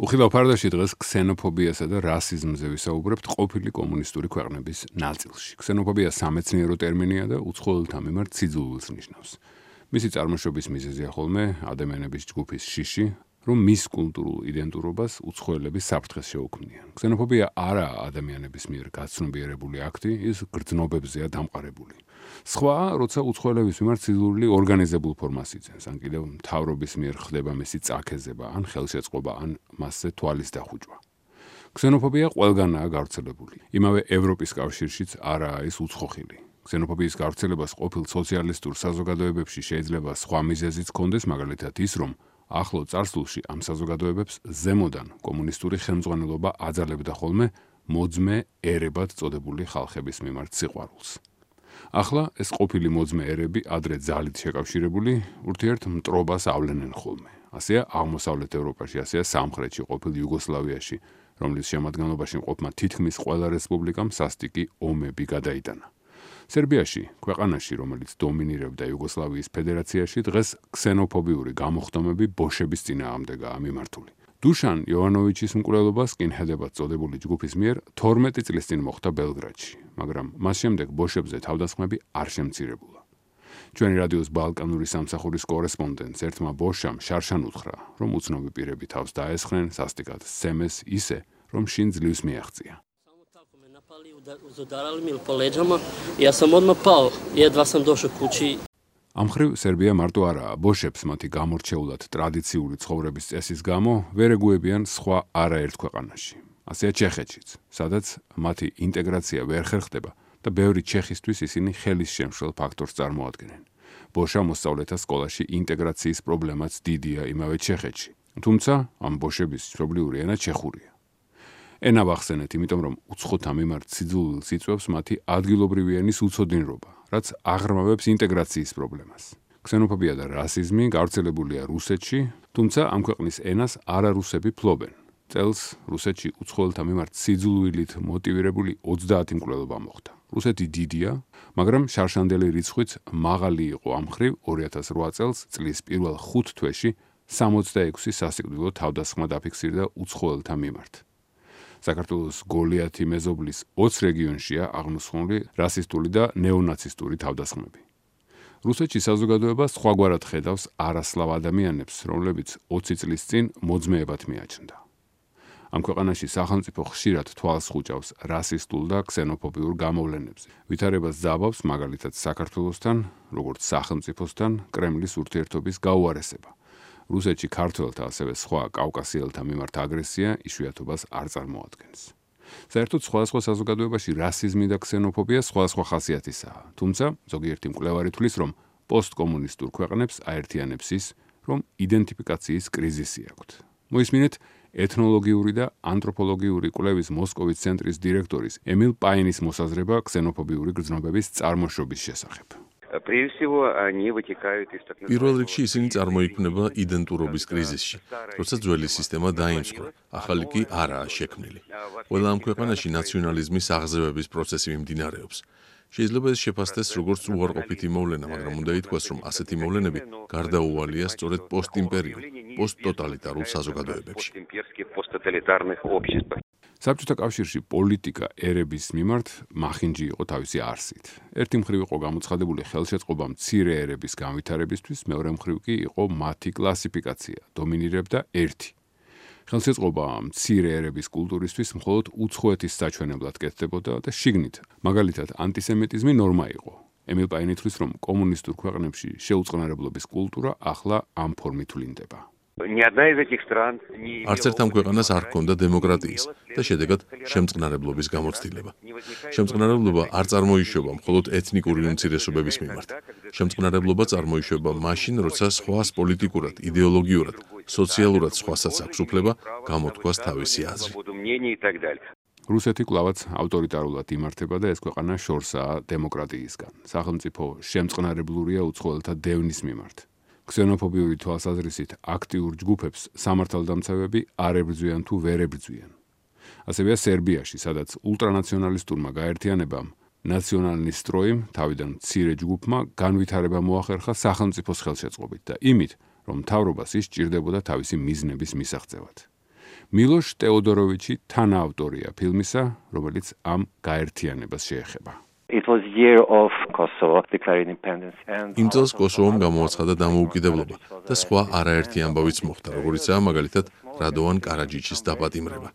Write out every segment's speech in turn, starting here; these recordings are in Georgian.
უხილავ ფარდაში დღეს ქსენოფობიასა და რასიზმზე ვისაუბრებთ ყოფილი კომუნისტური ქვეყნების ნაწილში. ქსენოფობია სამეცნიერო ტერმინია და უცხოელთა მიმართ სიძულვილს ნიშნავს. მისი წარმოშობის მიზეზია ხოლმე ადამიანების ჯგუფის შიში, რომ მის კულტურულ იდენტურობას უცხოელები საფრთხეს შეუქმნიან. ქსენოფობია არაა ადამიანების მიერ გაცნობიერებული აქტი, ის გრძნობებზეა დამყარებული. სხვა, როცა უცხოელების მიმართ სიძულვილი ორგანიზებულ ფორმას იძენს, ან კიდევ მთავრობის მიერ ხდება მისი წაქეზება, ან ხელშეწყობა, ან მასზე თვალის დახუჭვა. ქსენოფობია ყველგანაა გავრცელებული. იმავე ევროპის კავშირშიც არაა ის უცხოხილი. ქსენოფობიის გავრცელებას ყოფილ სოციალისტურ საზოგადოებებში შეიძლება სხვა მიზეზიც ჰქონდეს, მაგალითად ის, რომ ახლო წარსულში ამ საზოგადოებებს ზემოდან კომუნისტური ხელმძღვანელობა აძალებდა ხოლმე მოძმე ერებად წოდებული ხალხების მიმართ სიყვარულს. ახლა ეს ყოფილი მოძმე ერები ადრე ძალით შეკავშირებული ურთიერთ მტრობას ავლენენ ხოლმე. ასეა აღმოსავლეთ ევროპაში, ასეა სამხრეთში ყოფილ იუგოსლავიაში, რომლის შემადგენლობაში მყოფმა თითქმის ყველა რესპუბლიკამ სასტიკი ომები გადაიტანა. სერბიაში, ქვეყანაში, რომელიც დომინირებდა იუგოსლავიის ფედერაციაში, დღეს ქსენოფობიური გამოხდომები ბოშების წინააღმდეგაა მიმართული. დუშან იოვანოვიჩის მკვლელობა სკინჰედებად წოდებული ჯგუფის მიერ 12 წლის წინ მოხდა ბელგრადში, მაგრამ მას შემდეგ ბოშებზე თავდასხმები არ შემცირებულა. ჩვენი რადიოს ბალკანური სამსახურის კორესპონდენტს ერთმა ბოშამ შარშან უთხრა, რომ უცნობი პირები თავს დაესხნენ, სასტიკად სცემეს ისე, რომ შინ ძლივს მიაღწია. Udarali mi po leđama, ja sam odmah pao, jedva sam došao kući. ამ ხრივ სერბია მარტო არაა, ბოშებს მათი გამორჩეულად ტრადიციული ცხოვრების წესის გამო ვერ ეგუებიან სხვა არაერთ ქვეყანაში. ასეა ჩეხეთშიც, სადაც მათი ინტეგრაცია ვერ ხერხდება და ბევრი ჩეხისთვის ისინი ხელის შემშლელ ფაქტორს წარმოადგენენ. ბოშა მოსწავლეთა სკოლაში ინტეგრაციის პრობლემაც დიდია იმავე ჩეხეთში, თუმცა ამ ბოშების მშობლიური ენა ჩეხურია. ენა ვახსენეთ, იმიტომ რომ უცხოთა მიმართ სიძულვილს იწვევს მათი ადგილობრივი ენის უცოდინრობა, რაც აღრმავებს ინტეგრაციის პრობლემას. ქსენოფობია და რასიზმი გავრცელებულია რუსეთში, თუმცა ამ ქვეყნის ენას არარუსები ფლობენ. წელს რუსეთში უცხოელთა მიმართ სიძულვილით მოტივირებული 30 მკვლელობა მოხდა. რუსეთი დიდია, მაგრამ შარშანდელი რიცხვიც მაღალი იყო ამ ხრივ 2008 წელს წლის პირველ 5 თვეში 66 სასიკვდილო თავდასხმა დაფიქსირდა უცხოელთა მიმართ. საქართველოს გოლიათი მეზობლის 20 რეგიონშია აღმოსხმული რასისტული და ნეონაცისტური თავდასხმები. რუსეთში საზოგადოება სხვაგვარად ხედავს არასლავ ადამიანებს, რომლებიც 20 წლის წინ მოძმეებად მიაჩნდა. ამ ქვეყანაში სახელმწიფო ხშირად თვალს ხუჭავს რასისტულ და ქსენოფობიურ გამოვლენებზე. ვითარებას ძაბავს მაგალითად საქართველოსთან, როგორც სახელმწიფოსთან, კრემლის ურთიერთობის გაუარესება. რუსეთში ქართველთა, ასევე სხვა კავკასიელთა მიმართ აგრესია იშვიათობას არ წარმოადგენს. საერთოდ სხვადასხვა საზოგადოებაში რასიზმი და ქსენოფობია სხვადასხვა ხასიათისაა, თუმცა ზოგიერთი მკვლევარი თვლის, რომ პოსტკომუნისტურ ქვეყნებს აერთიანებს ის, რომ იდენტიფიკაციის კრიზისი აქვთ. მოისმინეთ ეთნოლოგიური და ანთროპოლოგიური კვლევის მოსკოვის ცენტრის დირექტორის ემილ პაინის მოსაზრება ქსენოფობიური გრძნობების წარმოშობის შესახებ. პირველ რიგში ისინი წარმოიქმნება იდენტურობის კრიზისში, როცა ძველი სისტემა დაიმსხვრა, ახალი კი არაა შექმნილი. ყველა ამ ქვეყანაში ნაციონალიზმის აღზევების პროცესი მიმდინარეობს. შეიძლება ეს შეფასდეს როგორც უარყოფითი მოვლენა, მაგრამ უნდა ითქვას, რომ ასეთი მოვლენები გარდაუვალია სწორედ პოსტიმპერიულ, პოსტტოტალიტარულ საზოგადოებებში. საბჭოთა კავშირში პოლიტიკა ერების მიმართ მახინჯი იყო თავისი არსით. ერთი მხრივ იყო გამოცხადებული ხელშეწყობა მცირე ერების განვითარებისთვის, მეორე მხრივ კი იყო მათი კლასიფიკაცია, დომინირებდა ერთი. ხელშეწყობა მცირე ერების კულტურისთვის მხოლოდ უცხოეთის საჩვენებლად კეთდებოდა და შიგნით, მაგალითად ანტისემიტიზმი ნორმა იყო. ემილ პაინი თვლის, რომ კომუნისტურ ქვეყნებში შეუწყნარებლობის კულტურა ახლა ამ ფორმით ვლინდება. არც ერთ ამ ქვეყანას არ ჰქონდა დემოკრატიის და შედეგად შემწყნარებლობის გამოცდილება. შემწყნარებლობა არ წარმოიშობა მხოლოდ ეთნიკური უმცირესობების მიმართ. შემწყნარებლობა წარმოიშობა მაშინ, როცა სხვას პოლიტიკურად, იდეოლოგიურად, სოციალურად სხვასაც აქვს უფლება გამოთქვას თავისი აზრი. რუსეთი კვლავაც ავტორიტარულად იმართება და ეს ქვეყანა შორსაა დემოკრატიისგან. სახელმწიფო შემწყნარებლურია უცხოელთა დევნის მიმართ. ქსენოფობიური თვალსაზრისით აქტიურ ჯგუფებს სამართალდამცავები არ ებრძვიან თუ ვერ ებრძვიან. ასევეა სერბიაში, სადაც ულტრანაციონალისტურმა გაერთიანებამ ნაციონალურ სტროიმ თავიდან მცირე ჯგუფმა განვითარება მოახერხა სახელმწიფოს ხელშეწყობით და იმით, რომ მთავრობას ის სჭირდებოდა თავისი მიზნების მისაღწევად. მილოშ ტეოდოროვიჩი თანაავტორია ფილმისა, რომელიც ამ გაერთიანებას შეეხება. It was year of Kosovo declaring independence and იმ წელს კოსოვომ გამოაცხადა დამოუკიდებლობა და სხვა არაერთი ამბავიც მოხდა, როგორიცაა მაგალითად რადოვან კარაჯიჩის დაპატიმრება.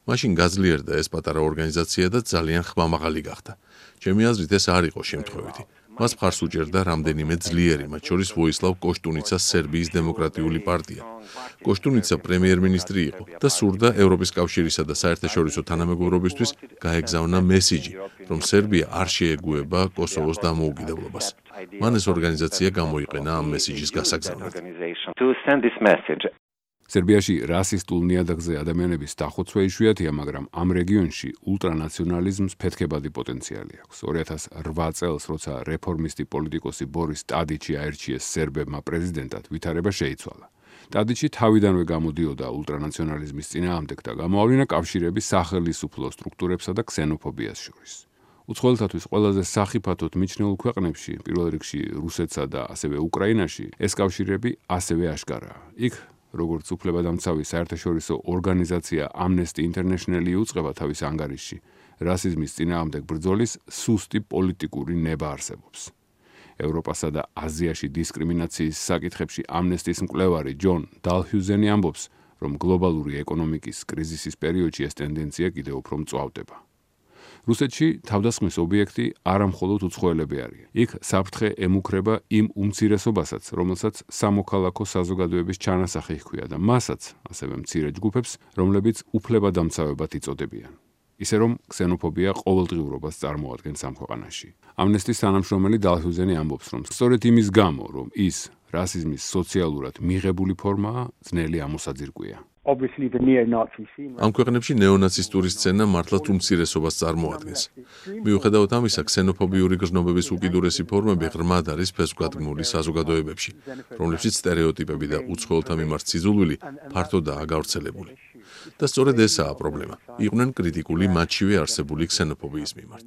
მაშინ გაძლიერდა ეს პატარა ორგანიზაცია და ძალიან ხმამაღალი გახდა. ჩემი აზრით ეს არ იყო შემთხვევითი. მას მხარს უჭერდა რამდენიმე ძლიერი, მათ შორის ვოისლავ კოშტუნიცას სერბიის დემოკრატიული პარტია. კოშტუნიცა პრემიერ-მინისტრი იყო და სურდა ევროპის კავშირისა და საერთაშორისო თანამეგობრობისთვის გაეგზავნა მესიჯი, რომ სერბია არ შეეგუება კოსოვოს დამოუკიდებლობას. მან ეს ორგანიზაცია გამოიყენა ამ მესიჯის გასაგზავნად. სერბიაში რასისტულ ნიადაგზე ადამიანების დახოცვა იშვიათია, მაგრამ ამ რეგიონში ულტრანაციონალიზმს ფეთქებადი პოტენციალი აქვს. 2008 წელს, როცა რეფორმისტი პოლიტიკოსი ბორის ტადიჩი აერჩიეს სერბებმა პრეზიდენტად, ვითარება შეიცვალა. ტადიჩი თავიდანვე გამოდიოდა ულტრანაციონალიზმის წინააღმდეგ და გამოავლინა კავშირები სახელმწიფო სტრუქტურებსა და ქსენოფობიას შორის. უცხოელთათვის ყველაზე სახიფათოდ მიჩნეულ ქვეყნებში, პირველ რიგში რუსეთსა და ასევე უკრაინაში, ეს კავშირები ასევე აშკარაა. იქ როგორც უფლებადამცავი საერთაშორისო ორგანიზაცია Amnesty International იუწყება თავის ანგარიშში, რასიზმის წინააღმდეგ ბრძოლის სუსტი პოლიტიკური ნება არსებობს. ევროპასა და აზიაში დისკრიმინაციის საკითხებში Amnesty-ის მკვლევარი ჯონ დალჰიუზენი ამბობს, რომ გლობალური ეკონომიკის კრიზისის პერიოდში ეს ტენდენცია კიდევ უფრო მწვავდება. რუსეთში თავდასხმის ობიექტი არამხოლოდ უცხოელები არიან. იქ საფრთხე ემუქრება იმ უმცირესობასაც, რომელსაც სამოქალაქო საზოგადოების ჩანასახი ჰქვია და მასაც, ასევე მცირე ჯგუფებს, რომლებიც უფლებადამცავებად იწოდებიან. ისე რომ ქსენოფობია ყოველდღიურობას წარმოადგენს ამ ქვეყანაში. Amnesty-ის თანამშრომელი დალჰიუზენი ამბობს, რომ სწორედ იმის გამო, რომ ის რასიზმის სოციალურად მიღებული ფორმაა, ძნელი ამოსაძირკვია. ამ ქვეყნებში ნეონაცისტური სცენა მართლაც უმცირესობას წარმოადგენს. მიუხედავად ამისა, ქსენოფობიური გრძნობების უკიდურესი ფორმები ღრმად არის ფესვგადგმული საზოგადოებებში, რომლებშიც სტერეოტიპები და უცხოელთა მიმართ სიძულვილი ფართოდაა გავრცელებული. და სწორედ ესაა პრობლემა. იყვნენ კრიტიკული მათშივე არსებული ქსენოფობიის მიმართ.